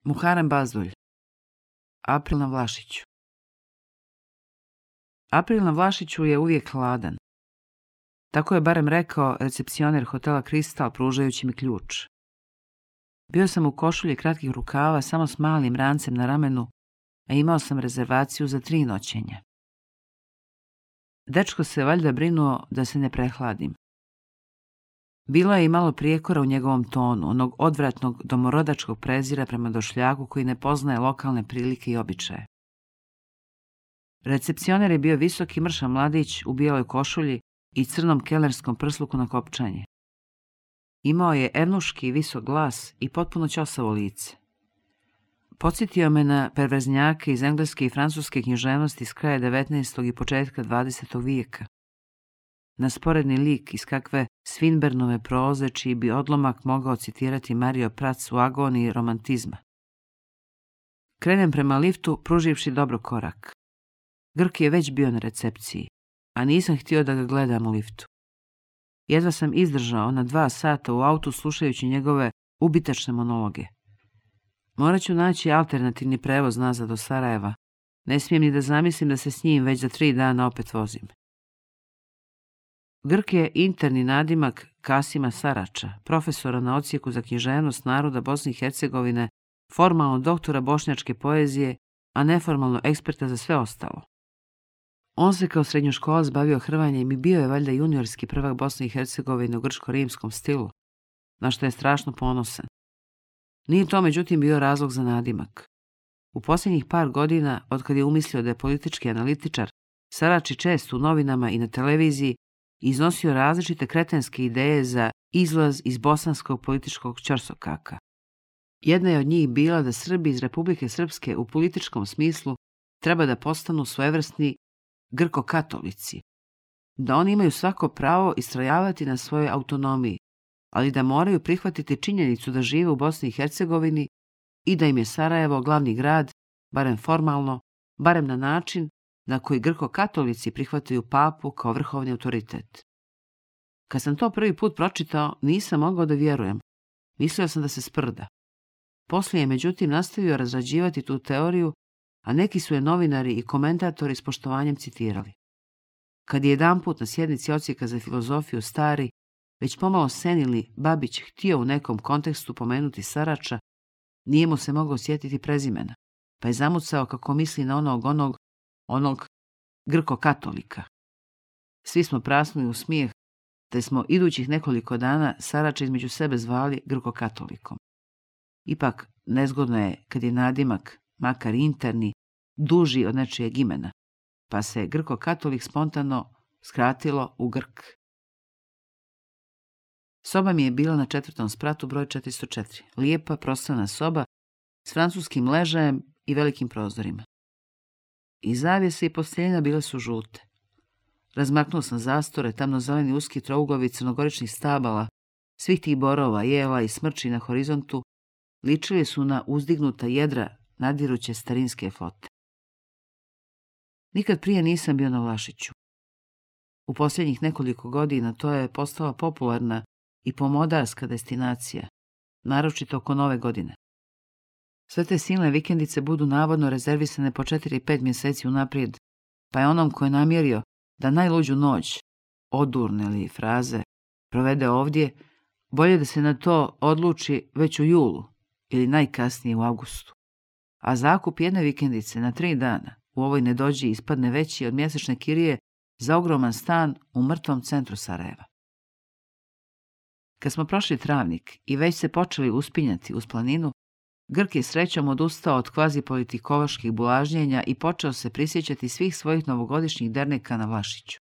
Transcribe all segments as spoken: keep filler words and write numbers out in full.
Muharrem Bazdulj. April na Vlašiću. April na Vlašiću je uvijek hladan. Tako je barem rekao recepcioner hotela Kristal pružajući mi ključ. Bio sam u košulji kratkih rukava samo s malim rancem na ramenu, a imao sam rezervaciju za tri noćenja. Dečko se valjda brinuo da se ne prehladim. Bilo je i malo prijekora u njegovom tonu, onog odvratnog domorodačkog prezira prema došljaku koji ne poznaje lokalne prilike i običaje. Recepcioner je bio visoki mršav mladić u bijeloj košulji i crnom kelerskom prsluku na kopčanje. Imao je evnuški visok glas i potpuno ćosavo lice. Podsjetio me na perverznjake iz engleske i francuske književnosti iz kraja devetnaestog i početka dvadesetog vijeka. Na sporedni lik iz kakve Swinburnove proze čiji bi odlomak mogao citirati Mario Prats u agoniji romantizma. Krenem prema liftu, pruživši dobro korak. Grk je već bio na recepciji, a nisam htio da ga gledam u liftu. Jedva sam izdržao na dva sata u autu slušajući njegove ubitačne monologe. Morat ću naći alternativni prevoz nazad do Sarajeva. Ne smijem ni da zamislim da se s njim već za tri dana opet vozim. Grk je interni nadimak Kasima Sarača, profesora na odsjeku za književnost naroda Bosne i Hercegovine, formalno doktora bošnjačke poezije, a neformalno eksperta za sve ostalo. On se kao srednjoškolac bavio hrvanjem i bio je valjda juniorski prvak Bosne i Hercegovine u grčko-rimskom stilu, na što je strašno ponosan. Nije to međutim bio razlog za nadimak. U posljednjih par godina, otkad je umislio da je politički analitičar, Sarač je često u novinama i na televiziji iznosio različite kretenske ideje za izlaz iz bosanskog političkog ćorsokaka. Jedna je od njih bila da Srbi iz Republike Srpske u političkom smislu treba da postanu svojevrsni grko-katolici, da oni imaju svako pravo istrajavati na svojoj autonomiji, ali da moraju prihvatiti činjenicu da žive u Bosni i Hercegovini i da im je Sarajevo glavni grad, barem formalno, barem na način na koji grko-katolici prihvataju papu kao vrhovni autoritet. Kad sam to prvi put pročitao, nisam mogao da vjerujem. Mislio sam da se sprda. Poslije je međutim nastavio razrađivati tu teoriju, a neki su je novinari i komentatori s poštovanjem citirali. Kad je jedanput na sjednici odsjeka za filozofiju stari, već pomalo senili Babić htio u nekom kontekstu pomenuti Sarača, nije mu se mogao sjetiti prezimena, pa je zamucao kako misli na onog onog onog grko-katolika. Svi smo prasnuli u smijeh, te smo idućih nekoliko dana Sarača između sebe zvali grko-katolikom. Ipak, nezgodno je kad je nadimak, makar interni, duži od nečijeg imena, pa se grko-katolik spontano skratilo u Grk. Soba mi je bila na četvrtom spratu broj četiristo četiri. Lijepa, prostrana soba s francuskim ležajem i velikim prozorima. I zavjese i posteljina bile su žute. Razmaknuo sam zastore, tamno-zeleni uski trouglovi crnogoričnih stabala, svih tih borova, jela i smrči na horizontu, ličili su na uzdignuta jedra nadiruće starinske flote. Nikad prije nisam bio na Vlašiću. U posljednjih nekoliko godina to je postala popularna i pomodarska destinacija, naročito oko nove godine. Sve te silne vikendice budu navodno rezervisane po četiri pet mjeseci unaprijed, pa je onom ko je namjerio da najluđu noć, odurne li fraze, provede ovdje, bolje da se na to odluči već u julu ili najkasnije u avgustu. A zakup jedne vikendice na tri dana u ovoj nedođi ispadne veći od mjesečne kirije za ogroman stan u mrtvom centru Sarajeva. Kad smo prošli travnik i već se počeli uspinjati uz planinu, Grk je srećom odustao od kvazi-politikoloških bulažnjenja i počeo se prisjećati svih svojih novogodišnjih derneka na Vlašiću.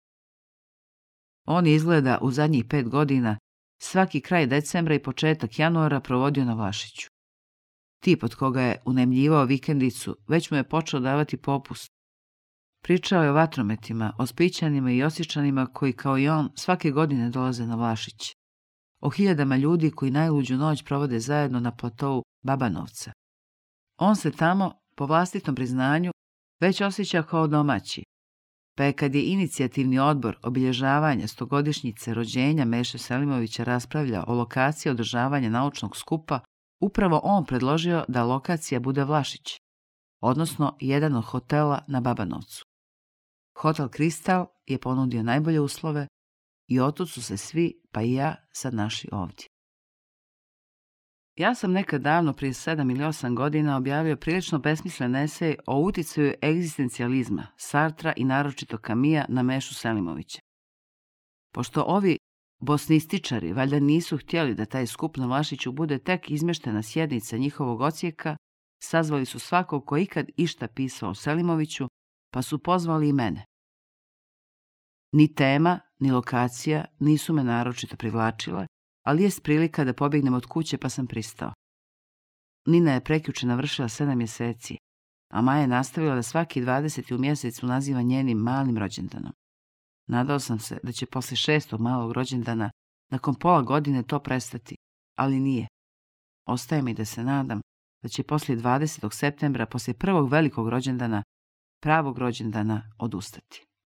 On izgleda u zadnjih pet godina svaki kraj decembra i početak januara provodio na Vlašiću. Tip od koga je unajmljivao vikendicu već mu je počeo davati popust. Pričao je o vatrometima, o Spićanima i Osječanima koji kao i on svake godine dolaze na Vlašić. O hiljadama ljudi koji najluđu noć provode zajedno na platovu Babanovca. On se tamo, po vlastitom priznanju, već osjeća kao domaći, pa je kad je inicijativni odbor obilježavanja stogodišnjice rođenja Meše Selimovića raspravljao o lokaciji održavanja naučnog skupa upravo on predložio da lokacija bude Vlašić, odnosno jedan od hotela na Babanovcu. Hotel Kristal je ponudio najbolje uslove i otud su se svi, pa i ja, sad našli ovdje. Ja sam nekad davno, prije sedam ili osam godina, objavio prilično besmislen esej o uticaju egzistencijalizma, Sartra i naročito Camilla na Mešu Selimovića. Pošto ovi bosnističari valjda nisu htjeli da taj skup na Vlašiću bude tek izmeštena sjednica njihovog odsjeka, sazvali su svakog ko ikad išta pisao o Selimoviću, pa su pozvali i mene. Ni tema, ni lokacija nisu me naročito privlačile, ali jest prilika da pobjegnem od kuće, pa sam pristao. Nina je prekjuče navršila sedam mjeseci, a Maja je nastavila da svaki dvadeseti u mjesecu naziva njenim malim rođendanom. Nadao sam se da će posle šestog malog rođendana nakon pola godine to prestati, ali nije. Ostaje mi da se nadam da će poslije dvadesetog septembra, poslije prvog velikog rođendana, pravog rođendana, odustati.